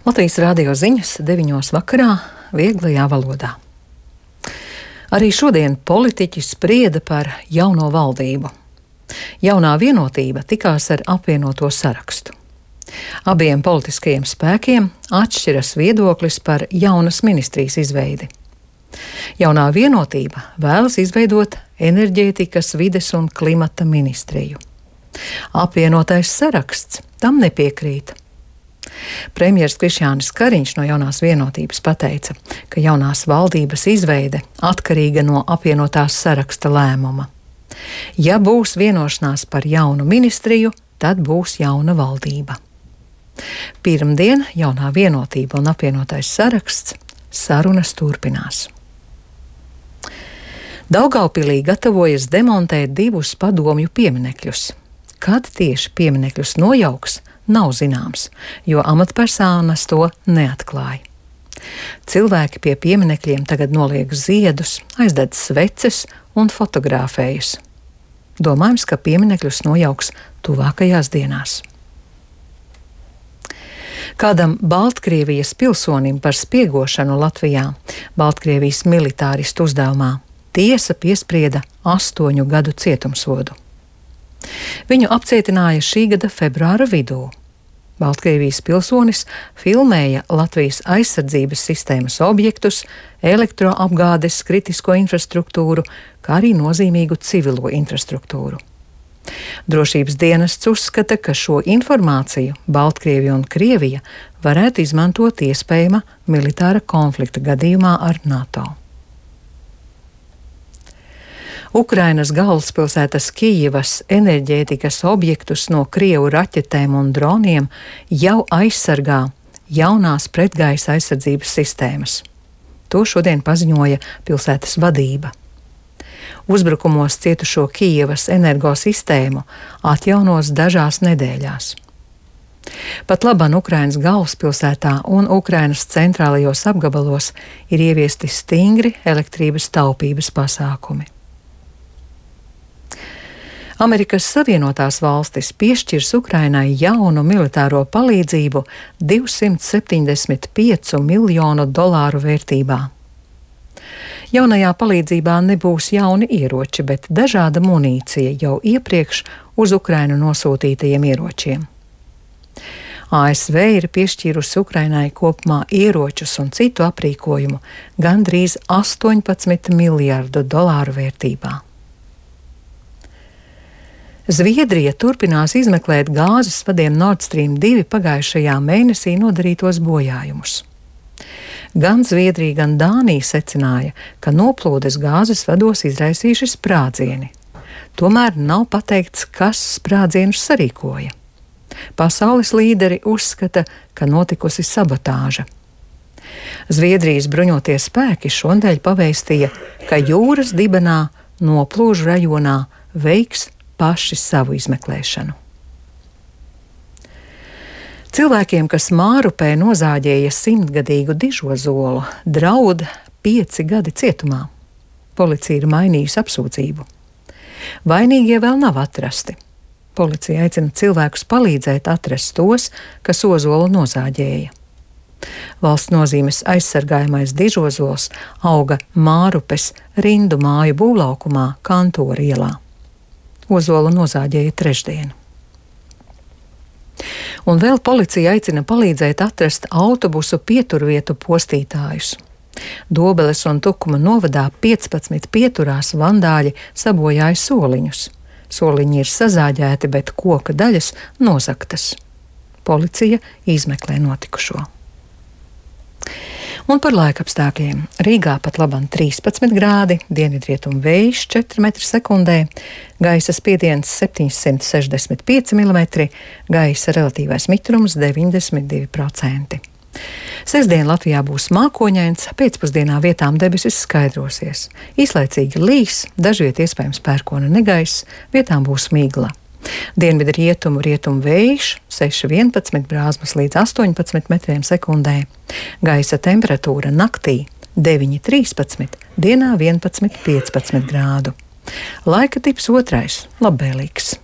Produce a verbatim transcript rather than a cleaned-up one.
Latvijas radio ziņas deviņos vakarā vieglajā valodā. Arī šodien politiķi sprieda par jauno valdību. Jaunā vienotība tikās ar apvienoto sarakstu. Abiem politiskajiem spēkiem atšķiras viedoklis par jaunas ministrijas izveidi. Jaunā vienotība vēlas izveidot enerģētikas, vides un klimata ministriju. Apvienotais saraksts tam nepiekrīt. Premjers Krišjānis Kariņš no jaunās vienotības pateica, ka jaunās valdības izveide atkarīga no apvienotās saraksta lēmuma. Ja būs vienošanās par jaunu ministriju, tad būs jauna valdība. Pirmdien jaunā vienotība un apvienotais saraksts sarunas turpinās. Daugavpilī gatavojas demontēt divus padomju pieminekļus. Kad tieši pieminekļus nojauks, nav zināms, jo amatpersonas to neatklāja. Cilvēki pie pieminekļiem tagad noliek ziedus, aizdedz sveces un fotografējas. Domājams, ka pieminekļus nojauks tuvākajās dienās. Kādam Baltkrievijas pilsonim par spiegošanu Latvijā Baltkrievijas militāristu uzdevumā tiesa piesprieda astoņu gadu cietumsodu. Viņu apcietināja šī gada februāra vidū. Baltkrievijas pilsonis filmēja Latvijas aizsardzības sistēmas objektus, elektroapgādes kritisko infrastruktūru, kā arī nozīmīgu civilo infrastruktūru. Drošības dienests uzskata, ka šo informāciju Baltkrievija un Krievija varētu izmantot iespējama militāra konflikta gadījumā ar NATO. Ukrainas galvaspilsētas Kijivas enerģētikas objektus no Krievu raķetēm un droniem jau aizsargā jaunās pretgaisa aizsardzības sistēmas. To šodien paziņoja pilsētas vadība. Uzbrukumos cietušo Kijivas energosistēmu atjaunos dažās nedēļās. Pat labam Ukrainas galvaspilsētā un Ukrainas centrālajos apgabalos ir ieviesti stingri elektrības taupības pasākumi. Amerikas Savienotās valstis piešķirs Ukrainai jaunu militāro palīdzību divsimt septiņdesmit piecu miljonu dolāru vērtībā. Jaunajā palīdzībā nebūs jauni ieroči, bet dažāda munīcija jau iepriekš uz Ukrainu nosūtītajiem ieročiem. A S V ir piešķīrusi Ukrainai kopumā ieročus un citu aprīkojumu gandrīz astoņpadsmit miljardu dolāru vērtībā. Zviedrija turpinās izmeklēt gāzes vadiem Nord Stream divi pagājušajā mēnesī nodarītos bojājumus. Gan Zviedrija, gan Dānija secināja, ka noplūdes gāzes vados izraisījuši sprādzieni. Tomēr nav pateikts, kas sprādzienus sarīkoja. Pasaules līderi uzskata, ka notikusi sabotāža. Zviedrijas bruņotie spēki šonadēļ pavēstīja, ka jūras dibenā noplūžu rajonā veiks paši savu izmeklēšanu. Cilvēkiem, kas Mārupē nozāģēja simtgadīgu dižozolu, draud pieci gadi cietumā. Policija ir mainījusi apsūdzību. Vainīgie vēl nav atrasti. Policija aicina cilvēkus palīdzēt atrast tos, kas ozolu nozāģēja. Valsts nozīmes aizsargājamais dižozols auga Mārupes rindu māju būvlaukumā Kantora ielā. Ozolu nozāģēja trešdien. Un vēl policija aicina palīdzēt atrast autobusu pieturvietu postītājus. Dobeles un Tukuma novadā piecpadsmit pieturās vandāļi sabojāja soliņus. Soliņi ir sazāģēti, bet koka daļas nozagtas. Policija izmeklē notikušo. Un par laikapstākļiem. Rīgā pat labam trīspadsmit grādi, dienvidrietumu vējš četri metri sekundē, gaisa spiediens septiņsimt sešdesmit pieci milimetri, gaisa relatīvais mitrums deviņdesmit divi procenti. Sestdien Latvijā būs mākoņains, pēcpusdienā vietām debesis skaidrosies. Īslaicīgi līs, dažviet iespējams pērkona negaiss, vietām būs migla. Dienvidu rietumu rietumu vējš seši vienpadsmit brāzmas līdz astoņpadsmit metriem sekundē. Gaisa temperatūra naktī deviņi trīspadsmit, dienā vienpadsmit piecpadsmit grādu. Laika tips otrais - labvēlīgs.